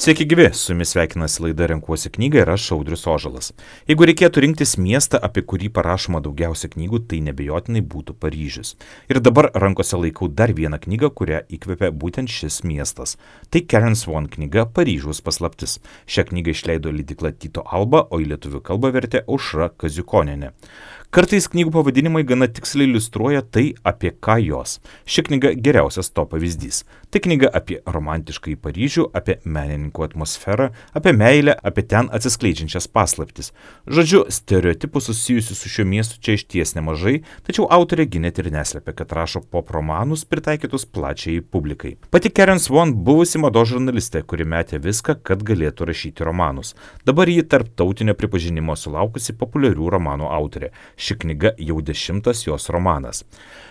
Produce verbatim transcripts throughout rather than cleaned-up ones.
Sveiki gyvi, su jumis sveikinasi laida Renkuosi knygą ir aš Audrius Ožalas. Jeigu reikėtų rinktis miestą, apie kurį parašoma daugiausia knygų, tai nebejotinai būtų Paryžius. Ir dabar rankose laikau dar vieną knygą, kurią įkvėpė būtent šis miestas. Tai Karen Swan knyga Paryžiaus paslaptis. Šią knygą išleido leidykla Tyto Alba, o į lietuvių kalbą vertė Aušra Kaziukonienė. Kartais knygų pavadinimai gana tiksliai iliustruoja tai, apie ką jos. Ši knyga geriausias to pavyzdys. Tai knyga apie romantiškąjį Paryžių, apie menininkų atmosferą, apie meilę, apie ten atsiskleidžiančias paslaptis. Žodžiu, stereotipų susijusių su šiuo miestu čia išties nemažai, tačiau autorė gi net ir neslėpia, kad rašo pop romanus pritaikytus plačiai publikai. Pati Karen Swan buvusi mados žurnalistė, kuri metė viską, kad galėtų rašyti romanus. Dabar ji tarptautinio pripažinimo sulaukusi populiarių romanų autorė. Ši knyga jau dešimtas jos romanas.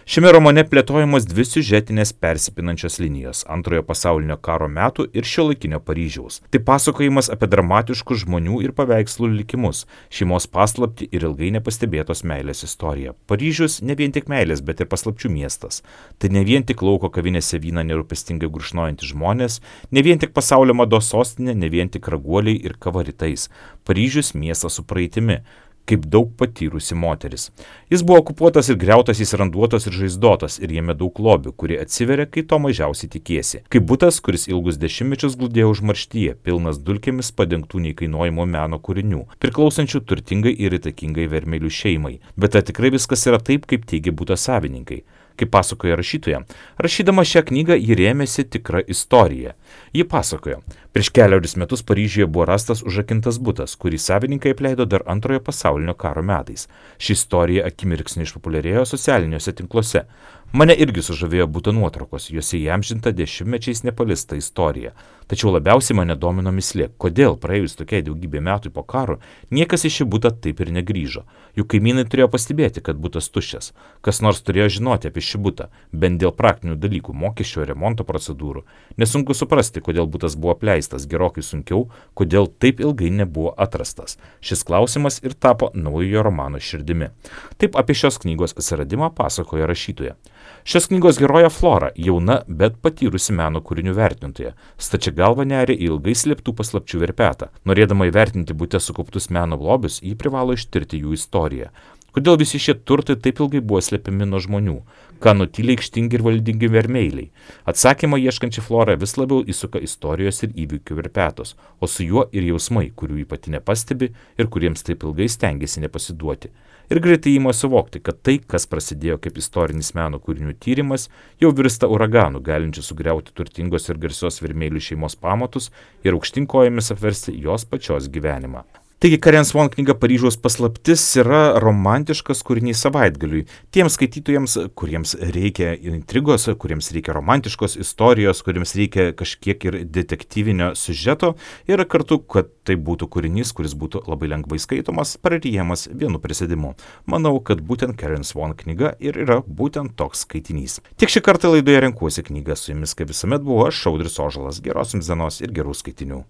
Šiame romane plėtojamos dvi siužetinės persipinančios linijos - antrojo pasaulinio karo metų ir šiuolaikinio Paryžiaus. Tai pasakojimas apie dramatiškus žmonių ir paveikslų likimus, šeimos paslaptį ir ilgai nepastebėtos meilės istoriją. Paryžius ne vien tik meilės, bet ir paslapčių miestas. Tai ne vien tik lauko kavinėse vyną nerūpestingai gurkšnojantys žmonės, ne vien tik pasaulio mados sostinė, ne vien tik raguoliai ir kava rytais. Paryžius miestas su praeitimi, kaip daug patyrusi moteris. Jis buvo okupuotas ir griautas, jis randuotas ir žaizdotas, ir jame daug lobių, kurie atsiveria, kai to mažiausiai tikiesi. Kaip butas, kuris ilgus dešimtmečius glūdėjo užmarštyje, pilnas dulkėmis padengtų neįkainojimo meno kūrinių, priklausančių turtingai ir įtakingai vermelių šeimai. Bet ar tikrai viskas yra taip, kaip teigia buto savininkai? Kaip pasakoja rašytoja, rašydama šią knygą ji rėmėsi tikra istorija. Ji pasakojo, prieš keliarius metus Paryžiuje buvo rastas užrakintas butas, kurį savininkai apleido dar antrojo pasaulinio karo metais. Ši istorija akimirksniu išpopuliarėjo socialiniuose tinkluose. Mane irgi sužavėjo buto nuotraukos, juose įamžinta dešimtmečiais nepalista istorija. Tačiau labiausiai mane domino mislė, kodėl praėjus tokiai daugybė metų po karo niekas į šį butą taip ir negrįžo. Juk kaimynai turėjo pastebėti, kad butas tuščias. Kas nors turėjo žinoti apie šį butą, bent dėl praktinių dalykų, mokesčių ir remonto procedūrų. Nesunku suprasti, kodėl butas buvo apleistas, gerokai sunkiau, kodėl taip ilgai nebuvo atrastas. Šis klausimas ir tapo naujojo romano širdimi. Taip apie šios knygos atsiradimą pasakoja rašytoja. Šios knygos heroja Flora, jauna, bet patyrusi meno kūrinių vertintoja, stačia galva neria į ilgai slėptų paslapčių verpetą. Norėdama įvertinti bute sukauptus meno lobius, ji privalo ištirti jų istoriją. Kodėl visi šie turtai taip ilgai buvo slepiami nuo žmonių? Ką nutyliai aikštingi ir valdingi vermeiliai? Atsakymą ieškančią Florą vis labiau įsuka istorijos ir įvykių verpetos, o su juo ir jausmai, kurių ji pati nepastebi ir kuriems taip ilgai stengiasi nepasiduoti. Ir greitai ima suvokti, kad tai, kas prasidėjo kaip istorinis meno kūrinių tyrimas, jau virsta uraganu, galinčiu sugriauti turtingos ir garsios vermeilių šeimos pamatus ir aukštinkojomis apversti jos pačios gyvenimą. Taigi Karen Swan knyga Paryžiaus paslaptis yra romantiškas kūrinys savaitgaliui. Tiems skaitytojams, kuriems reikia intrigos, kuriems reikia romantiškos istorijos, kuriems reikia kažkiek ir detektyvinio siužeto ir kartu, kad tai būtų kūrinys, kuris būtų labai lengvai skaitomas, praryjamas vienu prisėdimu. Manau, kad būtent Karen Swan knyga ir yra būtent toks skaitinys. Tiek šį kartą laidoje Renkuosi knygą, su jumis kaip visuomet buvo aš Audrius Ožalas. Geros jums dienos ir gerų skaitinių.